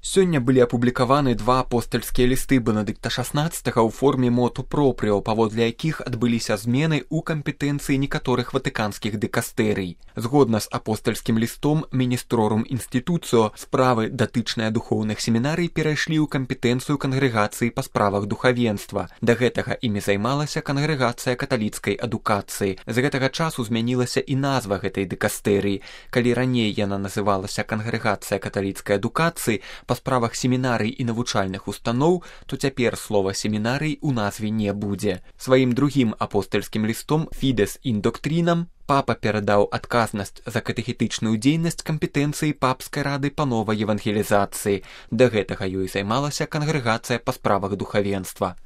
Сёння былі апублікаваны два апостальскія лісты Бенедыкта XVI ў форме моту пропріо, паводле якіх адбыліся змены ў кампетэнцыі некаторых ватыканскіх дыкастэрый. Згодна з апостальскім лістом Министрорум Институцио справы, датычныя духоўных семінарый, перайшлі ў кампетэнцыю кангрэгацыі па справах духавенства. Да гэтага імі займалася кангрэгацыя каталіцкай адукацыі. З гэтага часу змянілася і назва гэтай дыкастэрыі. Калі раней яна называлася кангрэгацыя каталіцкай адукацыі, па справах семінарый і навучальных устаноў, то цяпер слова семінарый у назве не будзе. Сваім другім апостальскім лістом Fides in Doctrinam папа перадаў адказнасць за катэхетычную дзейнасць кампетэнцыі папскай рады па новай евангелізацыі. Да гэтага ёй займалася кангрэгацыя па справах духавенства.